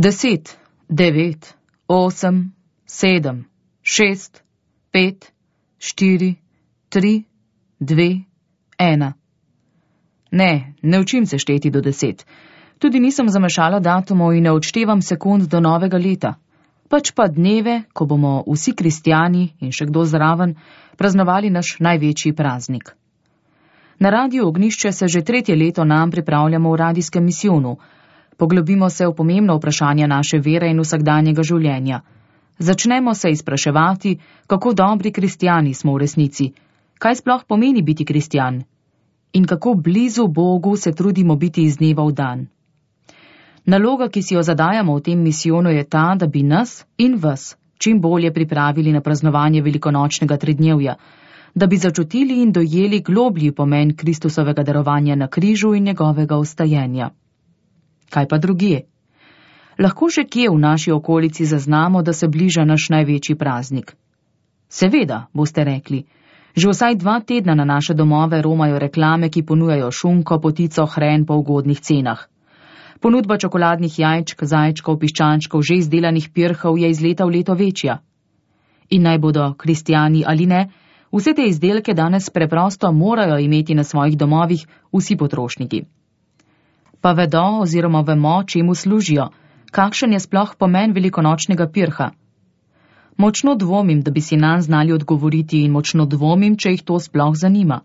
10, 9, 8, 7, 6, 5, 4, 3, 2, 1. Ne učim se šteti do 10. Tudi nisem zamešala datumov in ne odštevam sekund do novega leta. Pač pa dneve, ko bomo vsi kristjani in še kdo zraven praznovali naš največji praznik. Na Radiu Ognjišče se že 3. leto nam pripravljamo v radijskem misijonu. Poglobimo se v pomembno vprašanje naše vere in vsakdanjega življenja. Začnemo se izpraševati, kako dobri kristjani smo v resnici, kaj sploh pomeni biti kristjan in kako blizu Bogu se trudimo biti iz dneva v dan. Naloga, ki si jo zadajamo v tem misijonu, je ta, da bi nas in vas čim bolje pripravili na praznovanje velikonočnega tridnevja, da bi začutili in dojeli globlji pomen Kristusovega darovanja na križu in njegovega vstajenja. Kaj pa drugje? Lahko še kje v naši okolici zaznamo, da se bliža naš največji praznik. Seveda, boste rekli, že vsaj 2 tedna na naše domove romajo reklame, ki ponujajo šunko, potico, hren po ugodnih cenah. Ponudba čokoladnih jajčk, zajčkov, piščančkov, že izdelanih pirhov je iz leta v leto večja. In naj bodo kristjani ali ne, vse te izdelke danes preprosto morajo imeti na svojih domovih vsi potrošniki. Pa vedo oziroma vemo, čemu služijo, kakšen je sploh pomen velikonočnega pirha. Močno dvomim, da bi si nanj znali odgovoriti in močno dvomim, če jih to sploh zanima.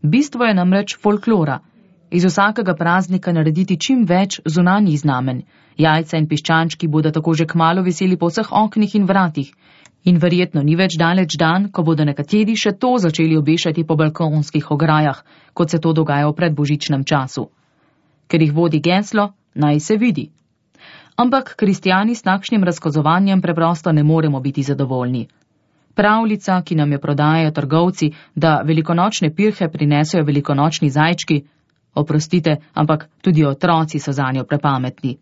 Bistvo je namreč folklora. Iz vsakega praznika narediti čim več zunanjih znamenj. Jajca in piščančki bodo tako že kmalu viseli po vseh oknih in vratih. In verjetno ni več daleč dan, ko bodo nekateri še to začeli obešati po balkonskih ograjah, kot se to dogaja v predbožičnem času. Ker jih vodi geslo, naj se vidi. Ampak kristjani s takšnim razkazovanjem preprosto ne moremo biti zadovoljni. Pravljica, ki nam jo prodajajo trgovci, da velikonočne pirhe prinesejo velikonočni zajčki, oprostite, ampak tudi otroci so zanjo prepametni.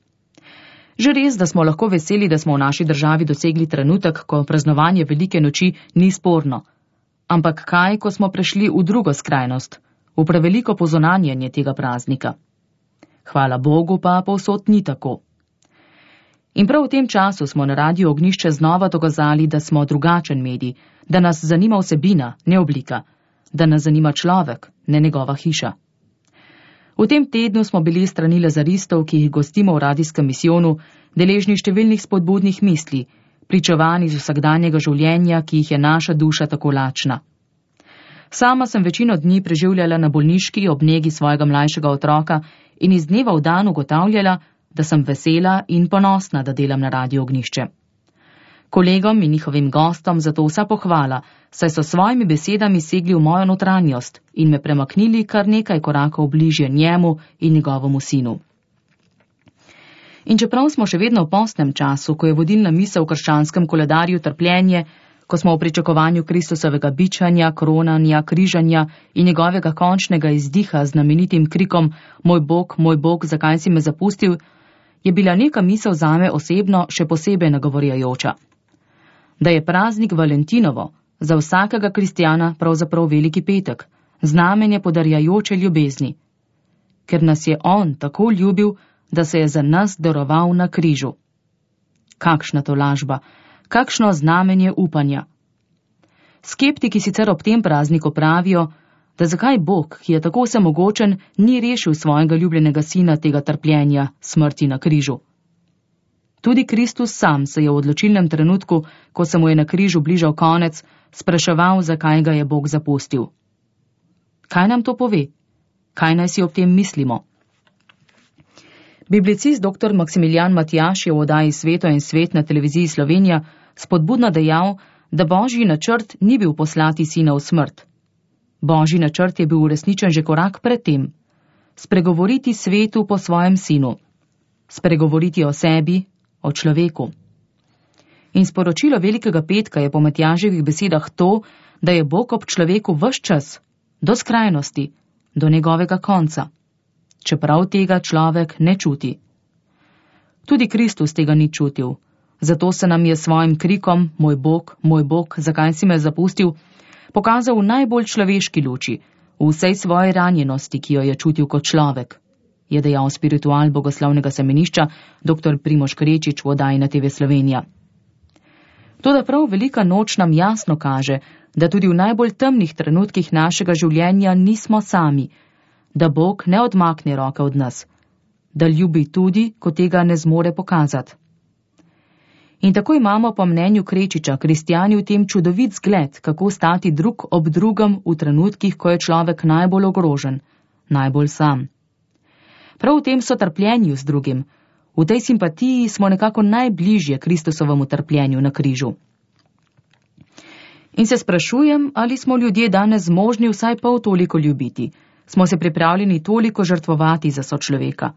Že res, da smo lahko veseli, da smo v naši državi dosegli trenutek, ko praznovanje velike noči ni sporno. Ampak kaj, ko smo prešli v drugo skrajnost, v preveliko pozonanjanje tega praznika? Hvala Bogu pa povsod ni tako. In prav v tem času smo na Radiu Ognjišče znova dokazali, da smo drugačen medij, da nas zanima vsebina, ne oblika, da nas zanima človek, ne njegova hiša. V tem tednu smo bili strani lazaristov, ki jih gostimo v radijskem misijonu, deležni številnih spodbudnih misli, pričevanj iz vsakdanjega življenja, ki jih je naša duša tako lačna. Sama sem večino dni preživljala na bolniški ob negi svojega mlajšega otroka in iz dneva v dan ugotavljala, da sem vesela in ponosna, da delam na Radiu Ognjišče. Kolegom in njihovim gostom zato vsa pohvala, saj so svojimi besedami segli v mojo notranjost in me premaknili kar nekaj korakov bližje njemu in njegovemu sinu. In čeprav smo še vedno v postnem času, ko je vodilna misel v krščanskem koledarju trpljenje, ko smo v pričakovanju Kristusovega bičanja, kronanja, križanja in njegovega končnega izdiha z znamenitim krikom moj Bog, zakaj si me zapustil, je bila neka misel zame osebno še posebej nagovorjajoča. Da je praznik Valentinovo za vsakega kristjana pravzaprav veliki petek, znamenje podarjajoče ljubezni. Ker nas je on tako ljubil, da se je za nas daroval na križu. Kakšna tolažba, kakšno znamenje upanja. Skeptiki sicer ob tem prazniku pravijo, da zakaj Bog, ki je tako vsemogočen, ni rešil svojega ljubljenega sina tega trpljenja, smrti na križu. Tudi Kristus sam se je v odločilnem trenutku, ko se mu je na križu bližal konec, spraševal, zakaj ga je Bog zapustil. Kaj nam to pove? Kaj naj si ob tem mislimo? Biblicist dr. Maksimilijan Matjaž je v oddaji Sveto in svet na televiziji Slovenija spodbudno dejal, da Božji načrt ni bil poslati sina v smrt. Božji načrt je bil uresničen že korak pred tem. Spregovoriti svetu po svojem sinu. Spregovoriti o sebi, o človeku. In sporočilo Velikega petka je po Matjaževih besedah to, da je Bog ob človeku ves čas, do skrajnosti, do njegovega konca. Čeprav tega človek ne čuti. Tudi Kristus tega ni čutil, zato se nam je svojim krikom moj Bog, zakaj si me zapustil, pokazal v najbolj človeški luči, v vsej svoji ranjenosti, ki jo je čutil kot človek. je dejal spiritual bogoslovnega semenišča dr. Primož Krečič v oddaji na TV Slovenija. Toda prav velika noč nam jasno kaže, da tudi v najbolj temnih trenutkih našega življenja nismo sami, da Bog ne odmakne roke od nas, da ljubi tudi, ko tega ne zmore pokazati. In tako imamo po mnenju Krečiča kristjani v tem čudovit zgled, kako stati drug ob drugem v trenutkih, ko je človek najbolj ogrožen, najbolj sam. Prav v tem sotrpljenju z drugim, v tej simpatiji smo nekako najbližje Kristusovemu trpljenju na križu. In se sprašujem, ali smo ljudje danes zmožni vsaj pol toliko ljubiti, smo se pripravljeni toliko žrtvovati za sočloveka.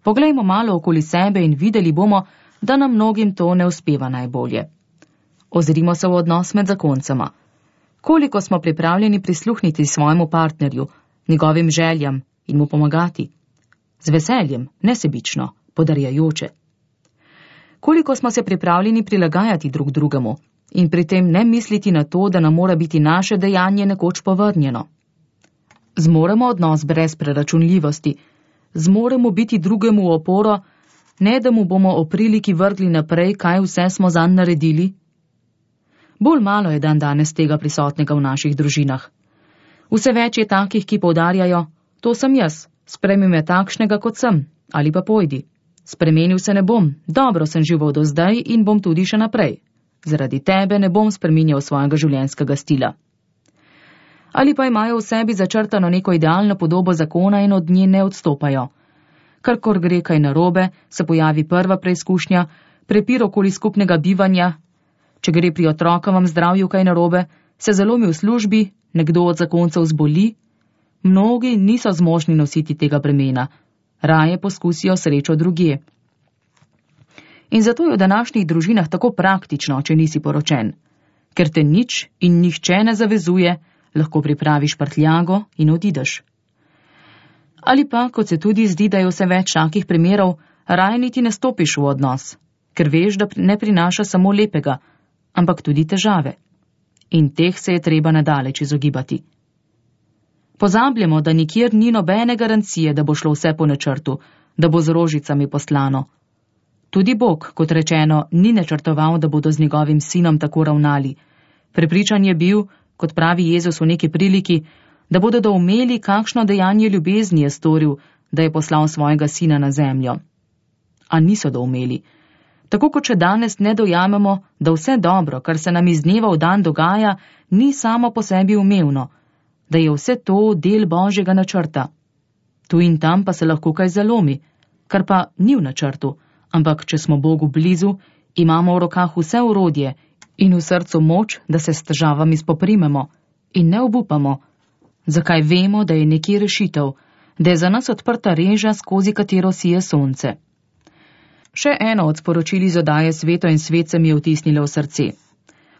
Poglejmo malo okoli sebe in videli bomo, da nam mnogim to ne uspeva najbolje. Ozrimo se v odnos med zakoncema. Koliko smo pripravljeni prisluhniti svojemu partnerju, njegovim željam in mu pomagati? Z veseljem, nesebično, podarjajoče. Koliko smo se pripravljeni prilagajati drug drugemu in pri tem ne misliti na to, da nam mora biti naše dejanje nekoč povrnjeno? Zmoremo odnos brez preračunljivosti, zmoremo biti drugemu v oporo, ne da mu bomo o priliki vrgli naprej, kaj vse smo zanj naredili? Bolj malo je danes tega prisotnega v naših družinah. Vse več je takih, ki poudarjajo, to sem jaz, sprejmi me takšnega, kot sem, ali pa pojdi. Spremenil se ne bom, dobro sem živel do zdaj in bom tudi še naprej. Zaradi tebe ne bom spreminjal svojega življenjskega stila. Ali pa imajo v sebi začrtano neko idealno podobo zakona in od nje ne odstopajo. Karkor gre kaj narobe, se pojavi prva preizkušnja, prepir okoli skupnega bivanja. Če gre pri otrokovem zdravju kaj narobe, se zalomi v službi, nekdo od zakoncev zboli. Mnogi niso zmožni nositi tega bremena, raje poskusijo srečo drugje. In zato je v današnjih družinah tako praktično, če nisi poročen. Ker te nič in nihče ne zavezuje, lahko pripraviš prtljago in odideš. Ali pa, kot se tudi zdi, da je vse več takih primerov, raje niti ne stopiš v odnos, ker veš, da ne prinaša samo lepega, ampak tudi težave. In teh se je treba nadaleč izogibati. Pozabljamo, da nikjer ni nobene garancije, da bo šlo vse po načrtu, da bo z rožicami poslano. Tudi Bog, kot rečeno, ni načrtoval, da bodo z njegovim sinom tako ravnali. Prepričan je bil, kot pravi Jezus v neki priliki, da bodo doumeli, kakšno dejanje ljubezni je storil, da je poslal svojega sina na zemljo. A niso doumeli. Tako kot še danes ne dojamemo, da vse dobro, kar se nam iz dneva v dan dogaja, ni samo po sebi umevno, da je vse to del Božjega načrta. Tu in tam pa se lahko kaj zalomi, kar pa ni v načrtu, ampak če smo Bogu blizu, imamo v rokah vse orodje in v srcu moč, da se s težavami spoprimemo in ne obupamo, zakaj vemo, da je nekje rešitev, da je za nas odprta reža, skozi katero sije sonce. Še eno od sporočil iz oddaje Sveto in svet se mi je vtisnilo v srce.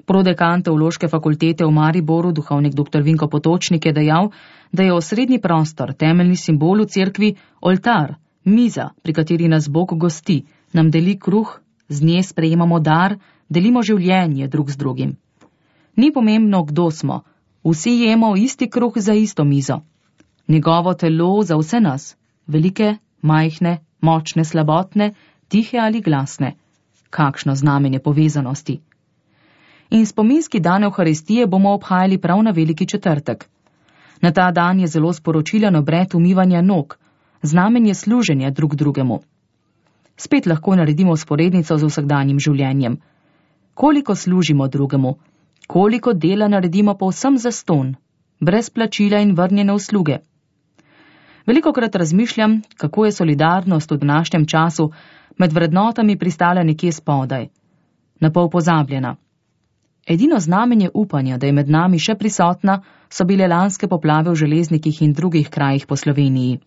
Prodekan Teološke fakultete v Mariboru, duhovnik dr. Vinko Potočnik, je dejal, da je osrednji prostor, temeljni simbol v cerkvi, oltar, miza, pri kateri nas Bog gosti, nam deli kruh, z nje sprejemamo dar, delimo življenje drug z drugim. Ni pomembno, kdo smo, vsi jemo isti kruh za isto mizo. Njegovo telo za vse nas, velike, majhne, močne, slabotne, tihe ali glasne. Kakšno znamenje povezanosti. In spominski dan Evharistije bomo obhajali prav na Veliki četrtek. Na ta dan je zelo sporočilen obred umivanja nog, znamenje služenja drug drugemu. Spet lahko naredimo sporednico z vsakdanjim življenjem. Koliko služimo drugemu, koliko dela naredimo povsem zastonj, brez plačila in vrnjene usluge. Velikokrat razmišljam, kako je solidarnost v današnjem času med vrednotami pristala nekje spodaj, napol pozabljena. Edino znamenje upanja, da je med nami še prisotna, so bile lanske poplave v Železnikih in drugih krajih po Sloveniji.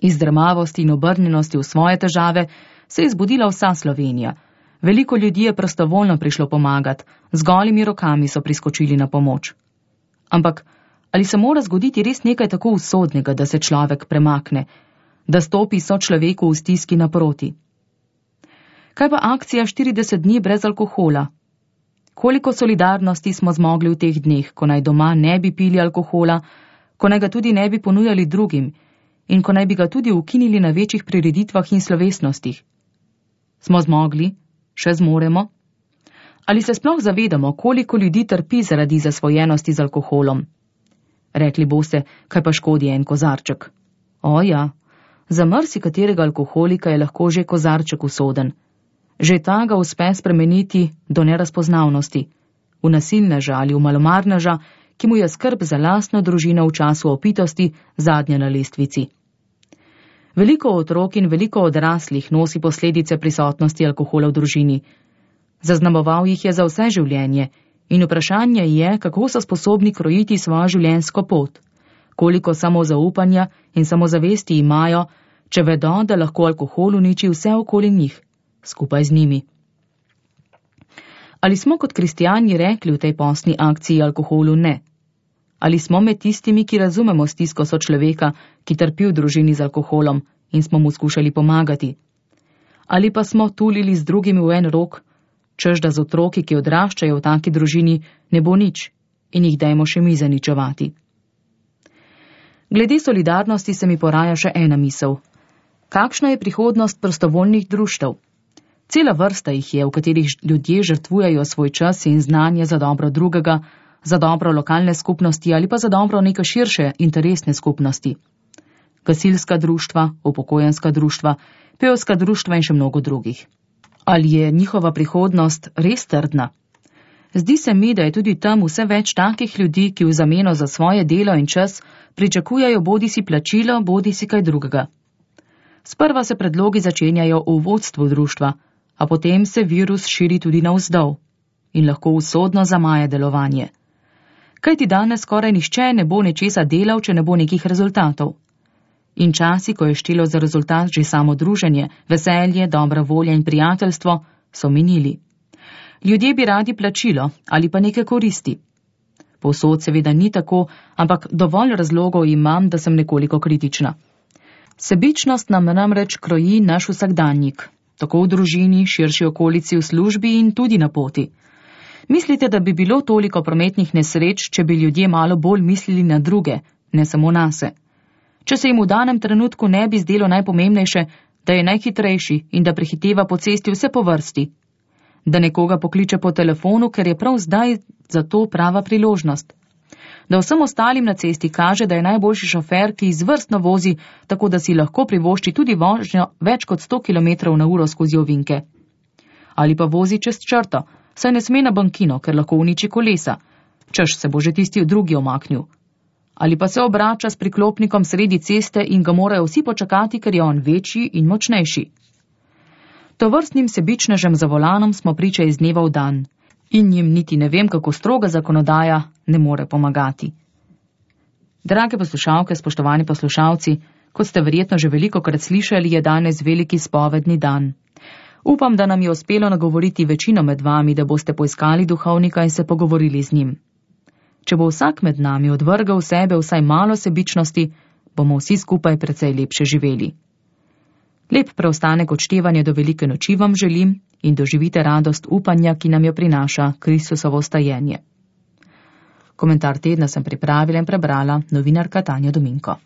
Iz drmavosti in obrnjenosti v svoje težave se je zbudila vsa Slovenija. Veliko ljudi je prostovoljno prišlo pomagati, z golimi rokami so priskočili na pomoč. Ampak ali se mora zgoditi res nekaj tako usodnega, da se človek premakne, da stopi sočloveku v stiski naproti? Kaj pa akcija 40 dni brez alkohola? Koliko solidarnosti smo zmogli v teh dneh, ko naj doma ne bi pili alkohola, ko naj ga tudi ne bi ponujali drugim in ko naj bi ga tudi ukinili na večjih prireditvah in slovesnostih. Smo zmogli? Še zmoremo? Ali se sploh zavedamo, koliko ljudi trpi zaradi zasvojenosti z alkoholom? Rekli boste, kaj pa škodi en kozarček. O ja, za marsikaterega alkoholika je lahko že kozarček usoden. Že ta ga uspe spremeniti do nerazpoznavnosti, v nasilneža ali v malomarneža, ki mu je skrb za lastno družino v času opitosti zadnja na lestvici. Veliko otrok in veliko odraslih nosi posledice prisotnosti alkohola v družini. Zaznamoval jih je za vse življenje in vprašanje je, kako so sposobni krojiti svojo življenjsko pot, koliko samozaupanja in samozavesti imajo, če vedo, da lahko alkohol uniči vse okoli njih, skupaj z njimi. Ali smo kot kristijani rekli v tej postni akciji alkoholu ne? Ali smo med tistimi, ki razumemo stisko sočloveka, ki trpi v družini z alkoholom in smo mu skušali pomagati? Ali pa smo tulili z drugimi v en rok, čež da z otroki, ki odraščajo v taki družini, ne bo nič in jih dajmo še mi zaničevati? Glede solidarnosti se mi poraja še ena misel. Kakšna je prihodnost prostovoljnih društev? Cela vrsta jih je, v katerih ljudje žrtvujejo svoj čas in znanje za dobro drugega, za dobro lokalne skupnosti ali pa za dobro neke širše interesne skupnosti. Gasilska društva, upokojenska društva, pevska društva in še mnogo drugih. Ali je njihova prihodnost res trdna? Zdi se mi, da je tudi tam vse več takih ljudi, ki v zameno za svoje delo in čas pričakujejo bodisi plačilo, bodisi kaj drugega. Sprva se predlogi začenjajo v vodstvu društva, a potem se virus širi tudi navzdol in lahko usodno zamaje delovanje. Kajti danes skoraj nihče ne bo nečesa delal, če ne bo nekih rezultatov. In časi, ko je štelo za rezultat že samo druženje, veselje, dobra volja in prijateljstvo, so minili. Ljudje bi radi plačilo ali pa neke koristi. Povsod seveda ni tako, ampak dovolj razlogov imam, da sem nekoliko kritična. Sebičnost nam namreč kroji naš vsakdanjik, tako v družini, širši okolici, v službi in tudi na poti. Mislite, da bi bilo toliko prometnih nesreč, če bi ljudje malo bolj mislili na druge, ne samo nase? Če se jim v danem trenutku ne bi zdelo najpomembnejše, da je najhitrejši in da prehiteva po cesti vse po vrsti, da nekoga pokliče po telefonu, ker je prav zdaj za to prava priložnost, da vsem ostalim na cesti kaže, da je najboljši šofer, ki izvrstno vozi, tako da si lahko privošči tudi vožnjo več kot 100 km/h skozi ovinke. Ali pa vozi čez črto, saj ne sme na bankino, ker lahko uniči kolesa, češ se bo že tisti drugi omaknil. Ali pa se obrača s priklopnikom sredi ceste in ga morajo vsi počakati, ker je on večji in močnejši. Tovrstnim sebičnežem za volanom smo priča iz dneva v dan in jim niti ne vem, kako stroga zakonodaja ne more pomagati. Drage poslušalke, spoštovani poslušalci, kot ste verjetno že velikokrat slišali, je danes veliki spovedni dan. Upam, da nam je uspelo nagovoriti večino med vami, da boste poiskali duhovnika in se pogovorili z njim. Če bo vsak med nami odvrgal sebe vsaj malo sebičnosti, bomo vsi skupaj precej lepše živeli. Lep preostanek odštevanja do velike noči vam želim in doživite radost upanja, ki nam jo prinaša Kristusovo vstajenje. Komentar tedna sem pripravila in prebrala novinarka Tanja Dominko.